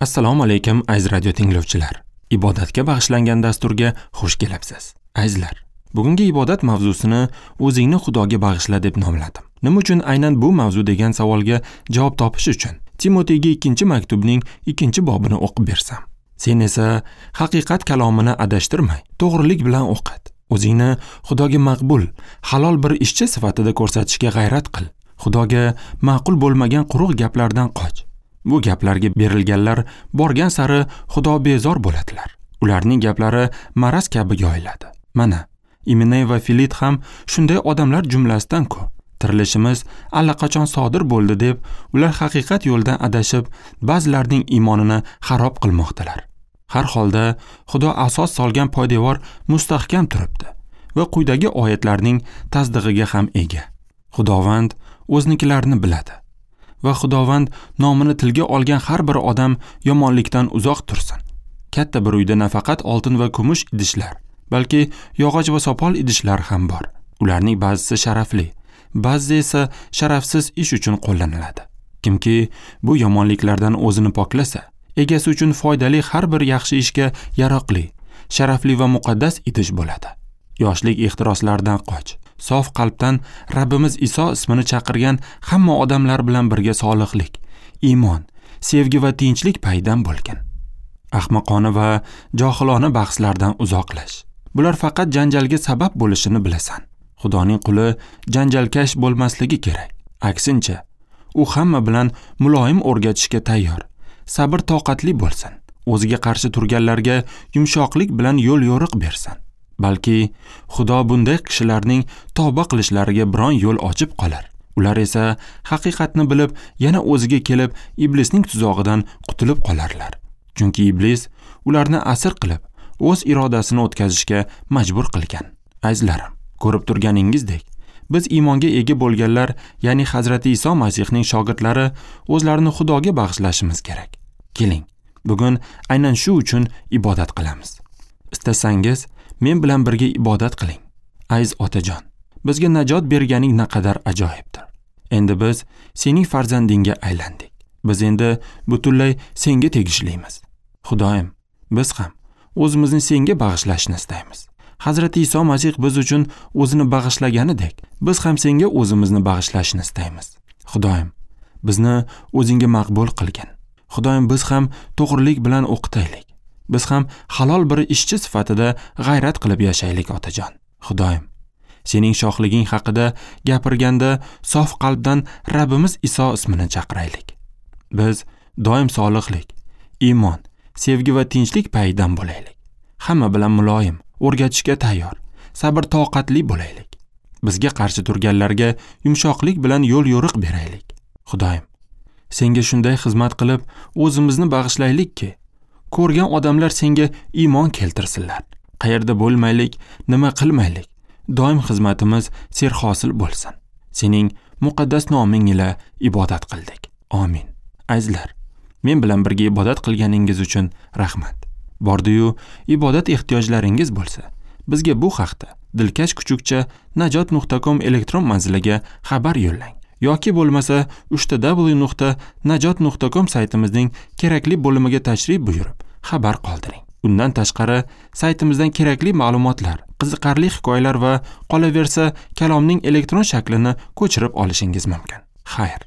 Assalomu alaykum aziz radio tinglovchilar. Ibodatga bag'ishlangan dasturga xush kelibsiz. Azizlar, bugungi ibodat mavzusini o'zingni Xudoga bag'ishla deb nomladim. Nima uchun aynan bu mavzu degan savolga javob topish uchun Timoteyga 2-maktubning 2-bobini o'qib bersam. Sen esa haqiqat kalomini adashtirmay, to'g'rilik bilan o'qit. O'zingni Xudoga maqbul, halol bir ishchi sifatida ko'rsatishga g'ayrat qil. Xudoga ma'qul bo'lmagan quruq gaplardan qoch. Bu gaplarga berilganlar borgan sari Xudo bezor bo'ladilar. Ularning gaplari maraz kabi yoyiladi. Mana, Iminey va Filit ham shunday odamlar jumlasidan-ku. Tirilishimiz allaqachon sodir bo'ldi deb ular haqiqat yo'lidan adashib, ba'zilarning iymonini xarob qilmoqdalar. Har holda Xudo asos solgan poydevor mustahkam turibdi va quyidagi oyatlarning tasdig'iga ham ega. Xudovand o'znikilarini biladi va Xudovand nomini tilga olgan har bir odam yomonlikdan uzoq tursin. Katta bir uyda nafaqat oltin va kumush idishlar, balki yog'och va sopol idishlar ham bor. Ularning ba'zisi sharafli, ba'zi esa sharafsiz ish uchun qo'llaniladi. Kimki bu yomonliklardan o'zini poklasa, egasi uchun foydali har bir yaxshi ishga yaroqli, sharafli va muqaddas idish bo'ladi. Yoshlik ehtiroslaridan qoch. Sof qalbdan Rabbimiz Iso ismini chaqirgan hamma odamlar bilan birga solihlik, iymon, sevgi va tinchlik paydan bo'lgin. Ahmoqona va johilona bahslardan uzoqlash. Bular faqat janjalga sabab bo'lishini bilasan. Xudoning quli janjalkash bo'lmasligi kerak. Aksincha, u hamma bilan muloyim o'rgatishga tayyor, sabr toqatli bo'lsin. O'ziga qarshi turganlarga yumshoqlik bilan yo'l yo'riq bersin. Balki Xudo bunday kishilarning tavba qilishlariga biron yo'l ochib qolar. Ular esa haqiqatni bilib, yana o'ziga kelib, iblisning tuzog'idan qutulib qolarlar. Chunki iblis ularni asir qilib, o'z irodasini o'tkazishga majbur qilgan. Azizlarim, ko'rib turganingizdek, biz iymonga ega bo'lganlar, ya'ni Hazrati Iso Masihning shogirdlari o'zlarini Xudoga bag'ishlashimiz kerak. Keling, bugun aynan shu uchun ibodat qilamiz. Istasangiz, men bilan birga ibodat qiling. Aziz otajon, bizga najot berganing naqadar ajoyibdir. Endi biz sening farzandingga aylandik. Biz endi butunlay senga tegishlimiz. Xudoyim, biz ham o'zimizni senga bag'ishlashni istaymiz. Hazrati Iso Masih biz uchun o'zini bag'ishlaganidek, biz ham senga o'zimizni bag'ishlashni istaymiz. Xudoyim, bizni o'zingga maqbul qilgin. Xudoyim, biz ham to'g'rilik bilan o'qitaylik. Biz ham halol bir ishchi sifatida g'ayrat qilib yashaylik, otajon. Xudoyim, sening shohliging haqida gapirganda sof qalbdan Rabbimiz Iso ismini chaqiraylik. Biz doim solihlik, iymon, sevgi va tinchlik payidan bo'laylik. Hamma bilan muloyim, o'rgatishga tayyor, sabr toqatli bo'laylik. Bizga qarshi turganlarga yumshoqlik bilan yo'l yo'riq beraylik. Xudoyim, senga shunday xizmat qilib, o'zimizni bag'ishlaylikki, ko'rgan odamlar senga iymon keltirsinlar. Qayerda bo'lmaylik, nima qilmaylik, doim xizmatimiz serhosil bo'lsin. Sening muqaddas noming ila ibodat qildik. Amin. Azizlar, men bilan birga ibodat qilganingiz uchun rahmat. Bordi-yu ibodat ehtiyojlaringiz bo'lsa, bizga bu haqda dilkash@najot.com elektron manziliga xabar yo'llang yoki bo'lmasa www.najot.com saytimizning kerakli bo'limiga tashrif buyurib, xabar qoldiring. Undan tashqari saytimizdan kerakli ma'lumotlar, qiziqarli hikoyalar va qolaversa kalomning elektron shaklini ko'chirib olishingiz mumkin. Xayr.